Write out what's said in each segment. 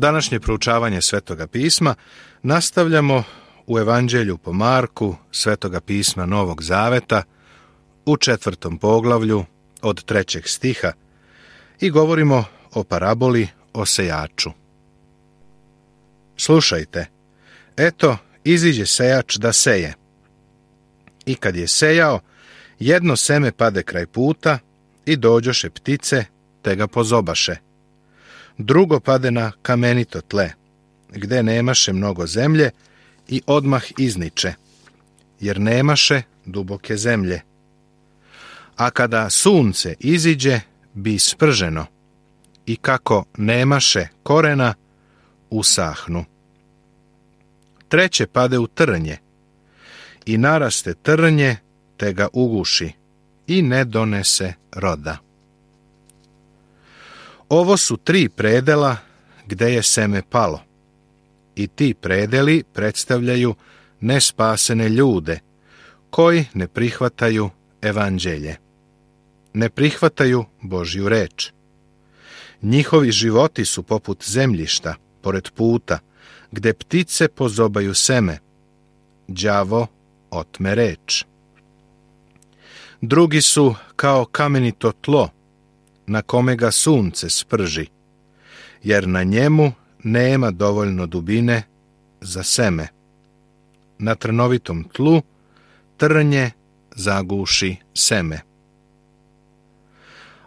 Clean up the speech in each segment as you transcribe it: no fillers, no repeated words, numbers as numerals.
Današnje proučavanje Svetoga pisma nastavljamo u Evanđelju po Marku Svetoga pisma Novog Zaveta u 4. poglavlju od 3. stiha i govorimo o paraboli o sejaču. Slušajte, eto, iziđe sejač da seje. I kad je sejao, jedno seme pade kraj puta i dođoše ptice, te ga pozobaše. Drugo pade na kamenito tle, gde nemaše mnogo zemlje i odmah izniče, jer nemaše duboke zemlje. A kada sunce iziđe, bi sprženo, i kako nemaše korena, usahnu. Treće pade u trnje, i naraste trnje, te ga uguši, i ne donese roda. Ovo su 3 predela gde je seme palo, i ti predeli predstavljaju nespasene ljude, koji ne prihvataju evanđelje, ne prihvataju Božju reč. Njihovi životi su poput zemljišta, pored puta, gde ptice pozobaju seme, đavo otme reč. Drugi su kao kamenito tlo, na kome ga sunce sprži, jer na njemu nema dovoljno dubine za seme. Na trnovitom tlu trnje zaguši seme.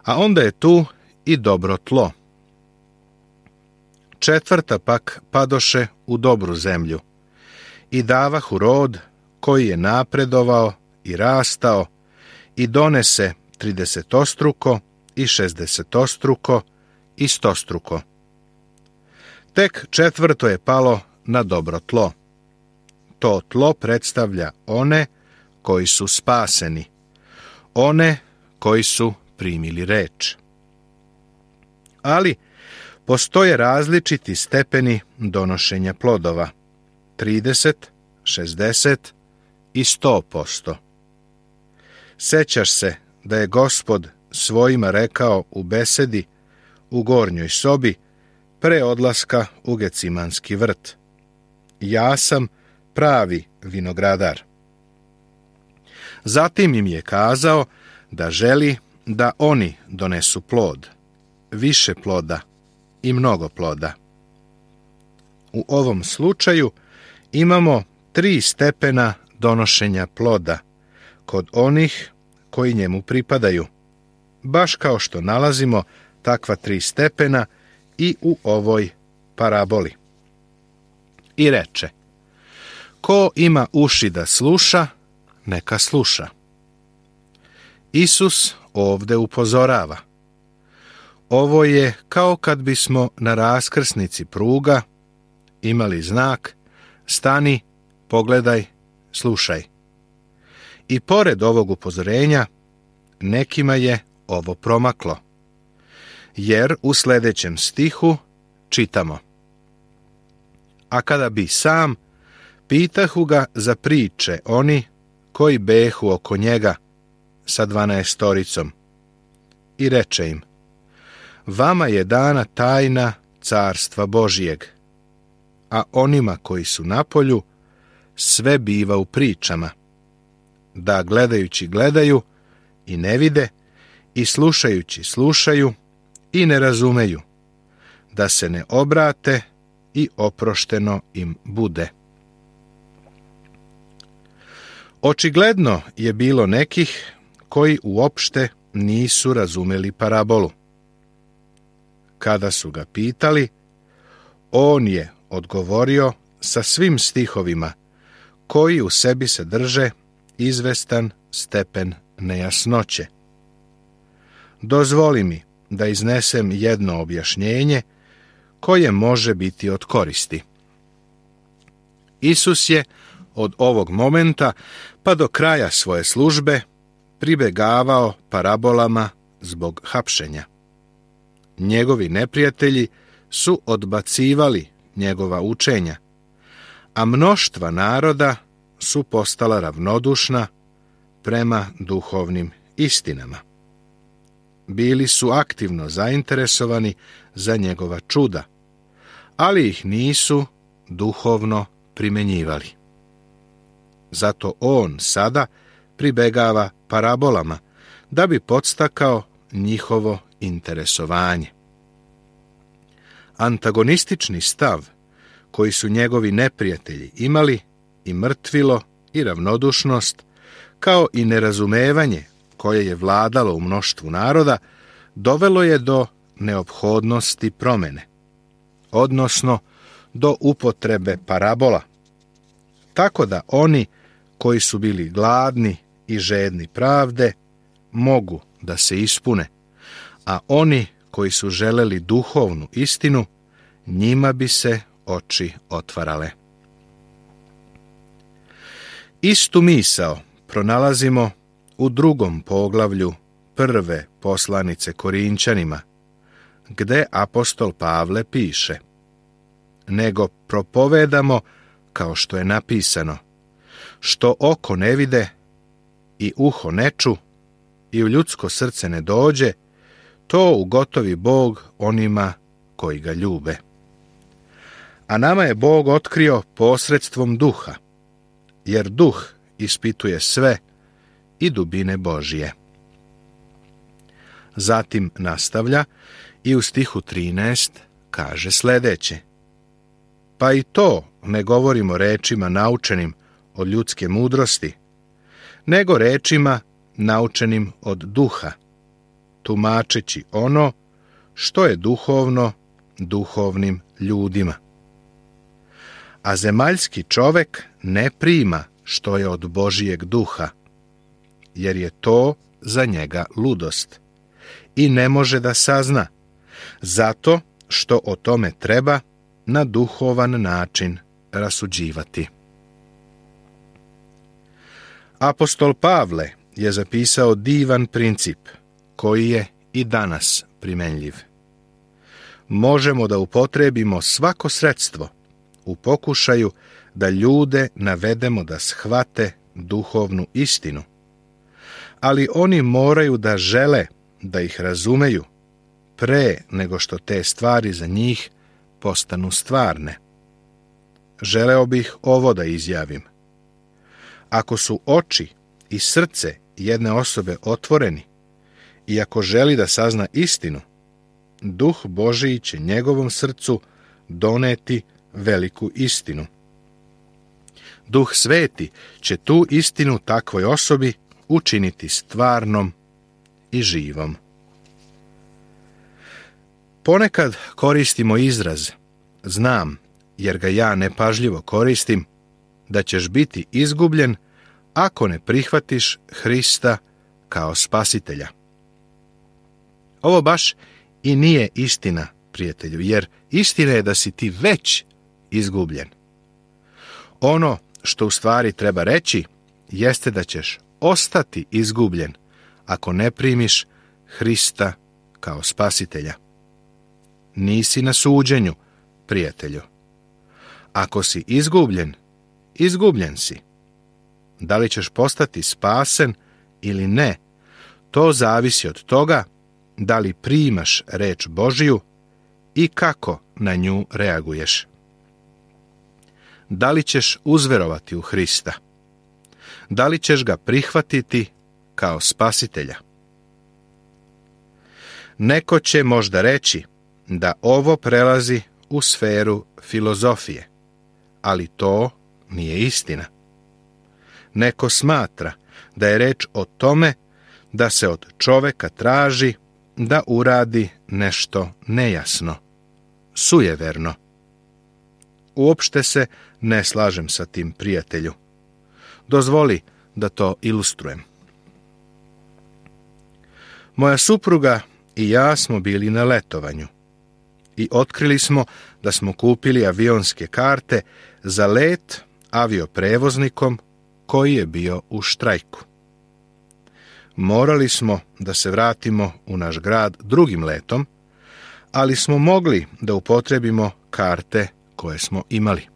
A onda je tu i dobro tlo. Četvrta pak padoše u dobru zemlju i davahu rod koji je napredovao i rastao i donese 30-struko i 60-struko i 100-struko. Tek četvrto je palo na dobro tlo. To tlo predstavlja one koji su spaseni, one koji su primili reč. Ali postoje različiti stepeni donošenja plodova, 30, 60 i 100%. Sećaš se da je Gospod svojima rekao u besedi u gornjoj sobi pre odlaska u Gecimanski vrt: ja sam pravi vinogradar. Zatim im je kazao da želi da oni donesu plod, više ploda i mnogo ploda. U ovom slučaju imamo 3 stepena donošenja ploda kod onih koji njemu pripadaju, baš kao što nalazimo takva 3 stepena i u ovoj paraboli. I reče: ko ima uši da sluša, neka sluša. Isus ovde upozorava. Ovo je kao kad bismo na raskrsnici pruga imali znak: stani, pogledaj, slušaj. I pored ovog upozorenja, nekima je ovo promaklo, jer u sljedećem stihu čitamo: a kada bi sam, pitahu ga za priče oni koji behu oko njega sa 12-storicom. I reče im: vama je dana tajna carstva Božijeg, a onima koji su napolju sve biva u pričama, da gledajući gledaju i ne vide, i slušajući slušaju i ne razumeju, da se ne obrate i oprošteno im bude. Očigledno je bilo nekih koji uopšte nisu razumeli parabolu. Kada su ga pitali, on je odgovorio sa svim stihovima koji u sebi sadrže izvestan stepen nejasnoće. Dozvoli mi da iznesem jedno objašnjenje koje može biti od koristi. Isus je od ovog momenta pa do kraja svoje službe pribegavao parabolama zbog hapšenja. Njegovi neprijatelji su odbacivali njegova učenja, a mnoštva naroda su postala ravnodušna prema duhovnim istinama. Bili su aktivno zainteresovani za njegova čuda, ali ih nisu duhovno primenjivali. Zato on sada pribegava parabolama da bi podstakao njihovo interesovanje. Antagonistični stav koji su njegovi neprijatelji imali, i mrtvilo i ravnodušnost, kao i nerazumevanje koje je vladalo u mnoštvu naroda, dovelo je do neophodnosti promene, odnosno do upotrebe parabola, tako da oni koji su bili gladni i žedni pravde mogu da se ispune, a oni koji su želeli duhovnu istinu, njima bi se oči otvarale. Istu misao pronalazimo u 2. poglavlju 1. poslanice Korinćanima, gde apostol Pavle piše: nego propovedamo kao što je napisano, što oko ne vide i uho ne ču i u ljudsko srce ne dođe, to ugotovi Bog onima koji ga ljube. A nama je Bog otkrio posredstvom Duha, jer Duh ispituje sve i dubine Božije. Zatim nastavlja i u stihu 13 kaže sljedeće: pa i to ne govorimo rečima naučenim od ljudske mudrosti, nego rečima naučenim od Duha, tumačeći ono što je duhovno duhovnim ljudima. A zemaljski čovek ne prima što je od Božijeg Duha, jer je to za njega ludost i ne može da sazna, zato što o tome treba na duhovan način rasuđivati. Apostol Pavle je zapisao divan princip koji je i danas primenljiv. Možemo da upotrebimo svako sredstvo u pokušaju da ljude navedemo da shvate duhovnu istinu, ali oni moraju da žele da ih razumeju pre nego što te stvari za njih postanu stvarne. Želeo bih ovo da izjavim. Ako su oči i srce jedne osobe otvoreni i ako želi da sazna istinu, Duh Božiji će njegovom srcu doneti veliku istinu. Duh Sveti će tu istinu takvoj osobi učiniti stvarnom i živom. Ponekad koristimo izraz znam, jer ga ja nepažljivo koristim, da ćeš biti izgubljen ako ne prihvatiš Hrista kao spasitelja. Ovo baš i nije istina, prijatelju, jer istina je da si ti već izgubljen. Ono što u stvari treba reći jeste da ćeš ostati izgubljen ako ne primiš Hrista kao spasitelja. Nisi na suđenju, prijatelju. Ako si izgubljen, izgubljen si. Da li ćeš postati spasen ili ne, to zavisi od toga da li primaš reč Božiju i kako na nju reaguješ. Da li ćeš uzverovati u Hrista? Da li ćeš ga prihvatiti kao spasitelja? Neko će možda reći da ovo prelazi u sferu filozofije, ali to nije istina. Neko smatra da je reč o tome da se od čoveka traži da uradi nešto nejasno, sujeverno. Uopšte se ne slažem sa tim, prijatelju. Dozvoli da to ilustrujem. Moja supruga i ja smo bili na letovanju i otkrili smo da smo kupili avionske karte za let avioprevoznikom koji je bio u štrajku. Morali smo da se vratimo u naš grad drugim letom, ali smo mogli da upotrebimo karte koje smo imali.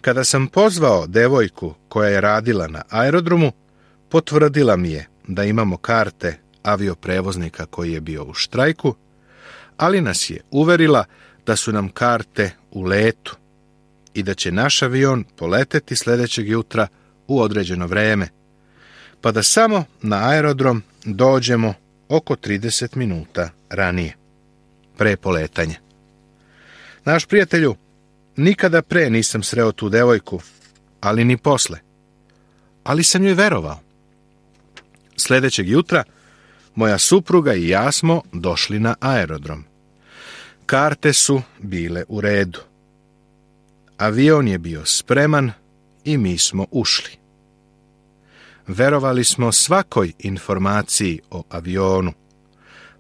Kada sam pozvao devojku koja je radila na aerodromu, potvrdila mi je da imamo karte avioprevoznika koji je bio u štrajku, ali nas je uverila da su nam karte u letu i da će naš avion poleteti sljedećeg jutra u određeno vreme, pa da samo na aerodrom dođemo oko 30 minuta ranije, pre poletanja. Naš prijatelju, nikada pre nisam sreo tu devojku, ali ni posle. Ali sam joj verovao. Sljedećeg jutra moja supruga i ja smo došli na aerodrom. Karte su bile u redu. Avion je bio spreman i mi smo ušli. Verovali smo svakoj informaciji o avionu,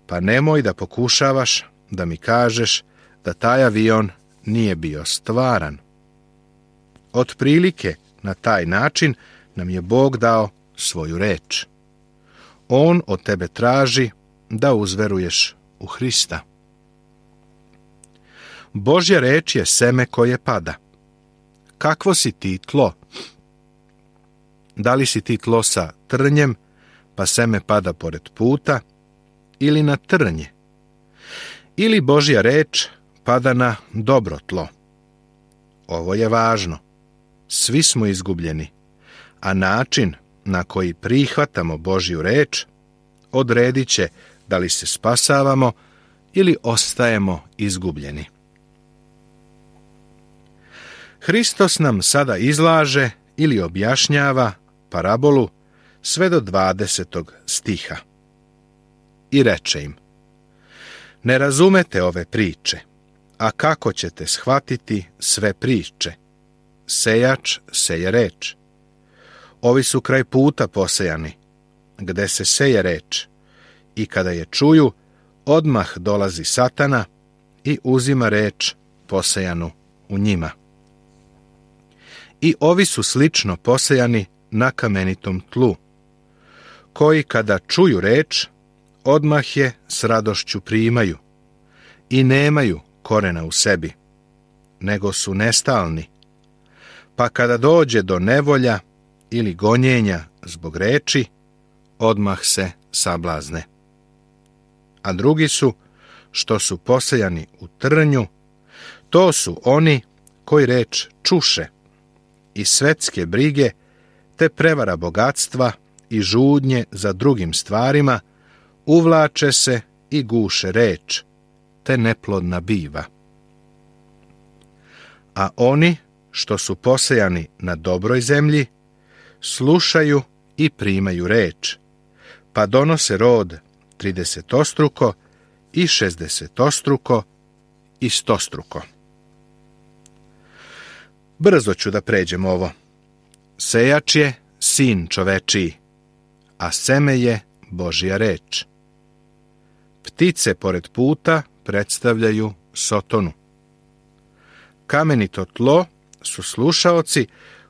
pa nemoj da pokušavaš da mi kažeš da taj avion nije bio stvaran. Otprilike na taj način nam je Bog dao svoju reč. On od tebe traži da uzveruješ u Hrista. Božja reč je seme koje pada. Kakvo si ti tlo? Da li si ti tlo sa trnjem, pa seme pada pored puta, ili na trnje? Ili Božja reč pada na dobro tlo? Ovo je važno. Svi smo izgubljeni, a način na koji prihvatamo Božju reč odredit će da li se spasavamo ili ostajemo izgubljeni. Hristos nam sada izlaže ili objašnjava parabolu sve do 20. stiha. I reče im: ne razumete ove priče, a kako ćete shvatiti sve priče? Sejač seje reč. Ovi su kraj puta posejani, gde se seje reč, i kada je čuju, odmah dolazi Satana i uzima reč posejanu u njima. I ovi su slično posejani na kamenitom tlu, koji kada čuju reč, odmah je s radošću primaju i nemaju korena u sebi, nego su nestalni, pa kada dođe do nevolja ili gonjenja zbog reči, odmah se sablazne. A drugi su, što su posejani u trnju, to su oni koji reč čuše i svetske brige, te prevara bogatstva i žudnje za drugim stvarima, uvlače se i guše reč, te neplodna biva. A oni, što su posejani na dobroj zemlji, slušaju i primaju reč, pa donose rod 30-struko i 60-struko i 100-struko. Brzo ću da pređem ovo. Sejač je sin čovečiji, a seme je Božja reč. Ptice pored puta predstavljaju Sotonu. Kamenito tlo su slušaoci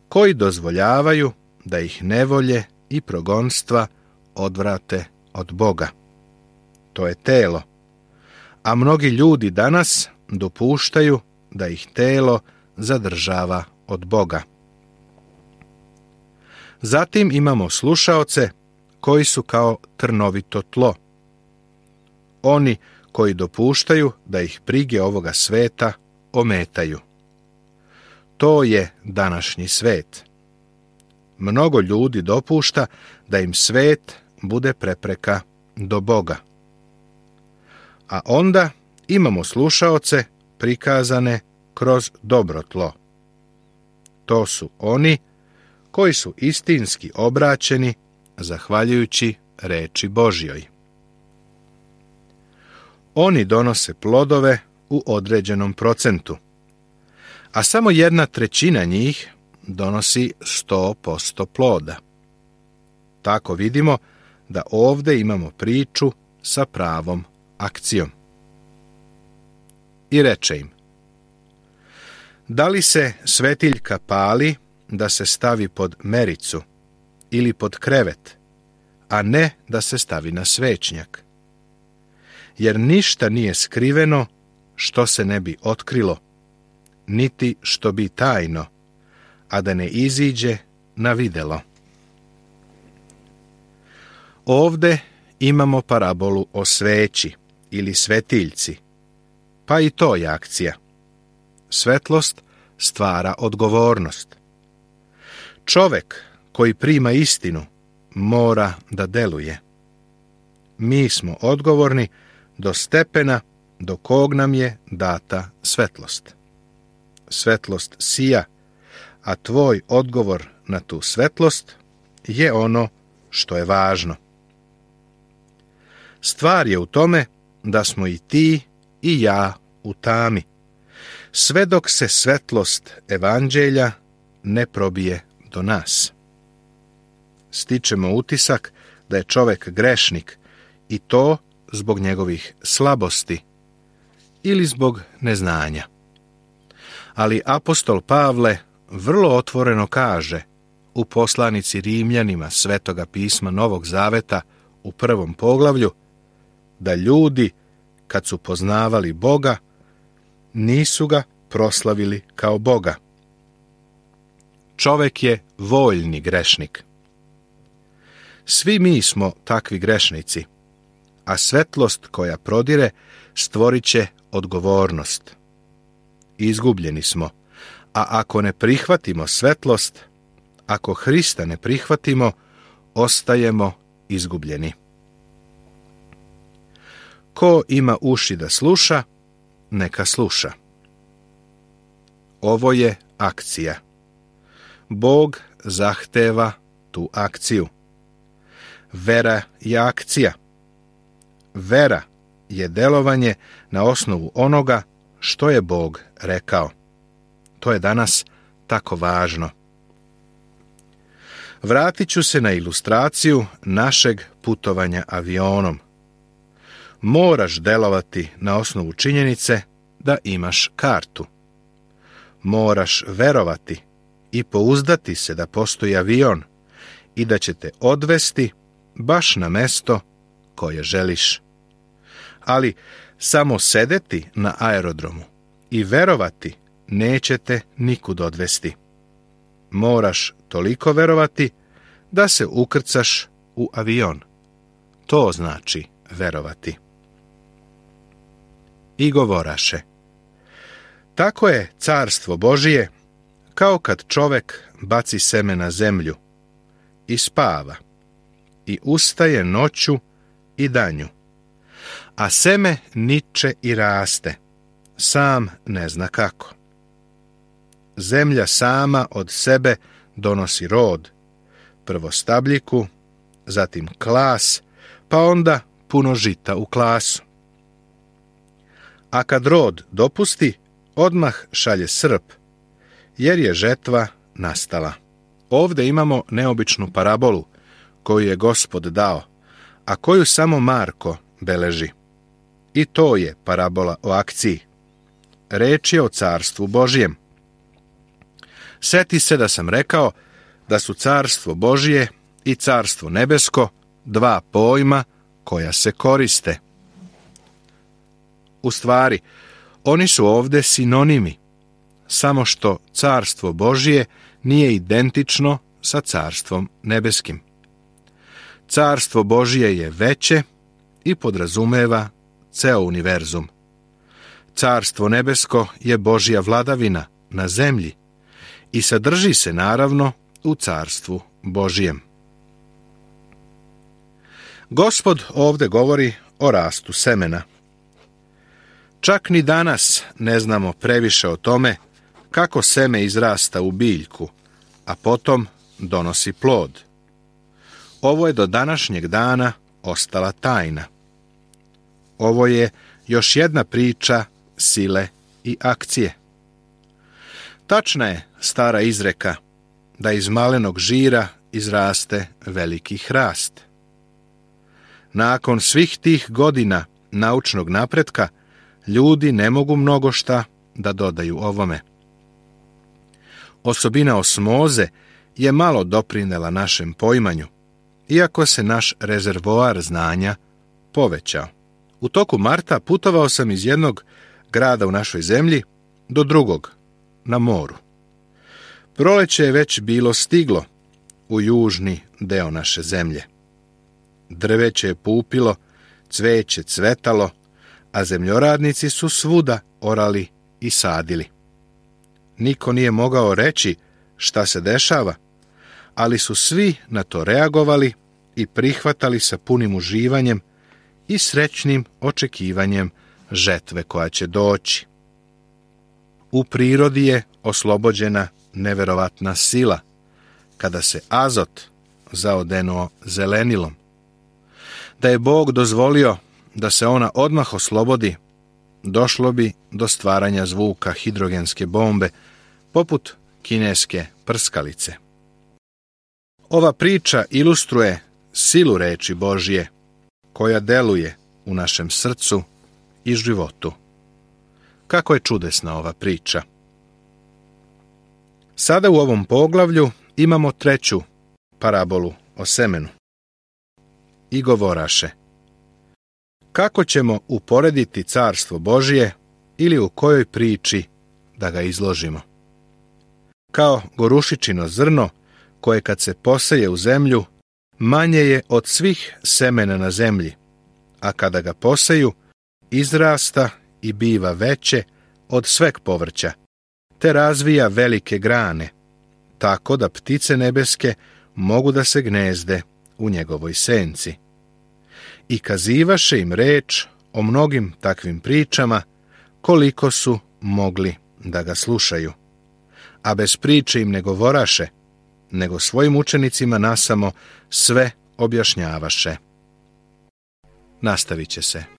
koji dozvoljavaju da ih nevolje i progonstva odvrate od Boga. To je telo, a mnogi ljudi danas dopuštaju da ih telo zadržava od Boga. Zatim imamo slušaoce koji su kao trnovito tlo. Oni koji dopuštaju da ih brige ovoga sveta ometaju. To je današnji svet. Mnogo ljudi dopušta da im svet bude prepreka do Boga. A onda imamo slušaoce prikazane kroz dobro tlo. To su oni koji su istinski obraćeni zahvaljujući reči Božjoj. Oni donose plodove u određenom procentu, a samo 1/3 njih donosi 100% ploda. Tako vidimo da ovdje imamo priču sa pravom akcijom. I reče im: da li se svetiljka pali da se stavi pod mericu ili pod krevet, a ne da se stavi na svećnjak? Jer ništa nije skriveno što se ne bi otkrilo, niti što bi tajno, a da ne iziđe na videlo. Ovde imamo parabolu o sveći ili svetiljci pa i to je akcija. Svetlost stvara odgovornost. Čovek koji prima istinu mora da deluje. Mi smo odgovorni do stepena do kog nam je data svetlost. Svetlost sija, a tvoj odgovor na tu svetlost je ono što je važno. Stvar je u tome da smo i ti i ja u tami, sve dok se svetlost evanđelja ne probije do nas. Stičemo utisak da je čovek grešnik i to zbog njegovih slabosti ili zbog neznanja. Ali apostol Pavle vrlo otvoreno kaže u poslanici Rimljanima Svetoga pisma Novog Zaveta u 1. poglavlju da ljudi, kad su poznavali Boga, nisu ga proslavili kao Boga. Čovek je voljni grešnik. Svi mi smo takvi grešnici, a svetlost koja prodire stvorit će odgovornost. Izgubljeni smo, a ako ne prihvatimo svetlost, ako Hrista ne prihvatimo, ostajemo izgubljeni. Ko ima uši da sluša, neka sluša. Ovo je akcija. Bog zahteva tu akciju. Vera je akcija. Vera je delovanje na osnovu onoga što je Bog rekao. To je danas tako važno. Vratit ću se na ilustraciju našeg putovanja avionom. Moraš delovati na osnovu činjenice da imaš kartu. Moraš verovati i pouzdati se da postoji avion i da će te odvesti baš na mesto koje želiš. Ali samo sedeti na aerodromu i verovati neće te nikud odvesti. Moraš toliko verovati da se ukrcaš u avion. To znači verovati. I govoraše: tako je carstvo Božije kao kad čovek baci seme na zemlju i spava i ustaje noću i danju, a seme niče i raste, sam ne zna kako. Zemlja sama od sebe donosi rod, prvo stabljiku, zatim klas, pa onda puno žita u klasu. A kad rod dopusti, odmah šalje srp, jer je žetva nastala. Ovdje imamo neobičnu parabolu koju je Gospod dao, a koju samo Marko beleži. I to je parabola o akciji. Reč je o carstvu Božijem. Seti se da sam rekao da su carstvo Božije i carstvo nebesko dva pojma koja se koriste. U stvari, oni su ovdje sinonimi, samo što carstvo Božije nije identično sa carstvom nebeskim. Carstvo Božije je veće i podrazumeva ceo univerzum. Carstvo nebesko je Božja vladavina na zemlji i sadrži se naravno u carstvu Božijem. Gospod ovdje govori o rastu semena. Čak ni danas ne znamo previše o tome kako seme izrasta u biljku, a potom donosi plod. Ovo je do današnjeg dana ostala tajna. Ovo je još jedna priča sile i akcije. Tačna je stara izreka da iz malenog žira izraste veliki hrast. Nakon svih tih godina naučnog napretka, ljudi ne mogu mnogo šta da dodaju ovome. Osobina osmoze je malo doprinela našem poimanju, iako se naš rezervoar znanja povećao. U toku marta putovao sam iz jednog grada u našoj zemlji do drugog, na moru. Proleće je već bilo stiglo u južni deo naše zemlje. Drveće je pupilo, cveće cvetalo, a zemljoradnici su svuda orali i sadili. Niko nije mogao reći šta se dešava, ali su svi na to reagovali i prihvatali sa punim uživanjem i srećnim očekivanjem žetve koja će doći. U prirodi je oslobođena neverovatna sila, kada se azot zaodenuo zelenilom. Da je Bog dozvolio da se ona odmah oslobodi, došlo bi do stvaranja zvuka hidrogenske bombe, poput kineske prskalice. Ova priča ilustruje silu reči Božje, koja deluje u našem srcu i životu. Kako je čudesna ova priča. Sada u ovom poglavlju imamo treću parabolu o semenu. I govoraše: kako ćemo uporediti carstvo Božje ili u kojoj priči da ga izložimo? Kao gorušičino zrno, koje kad se poseje u zemlju, manje je od svih semena na zemlji, a kada ga poseju, izrasta i biva veće od sveg povrća, te razvija velike grane, tako da ptice nebeske mogu da se gnezde u njegovoj senci. I kazivaše im reč o mnogim takvim pričama, koliko su mogli da ga slušaju. A bez priče im ne govoraše, nego svojim učenicima nasamo sve objašnjavaše. Nastavit će se.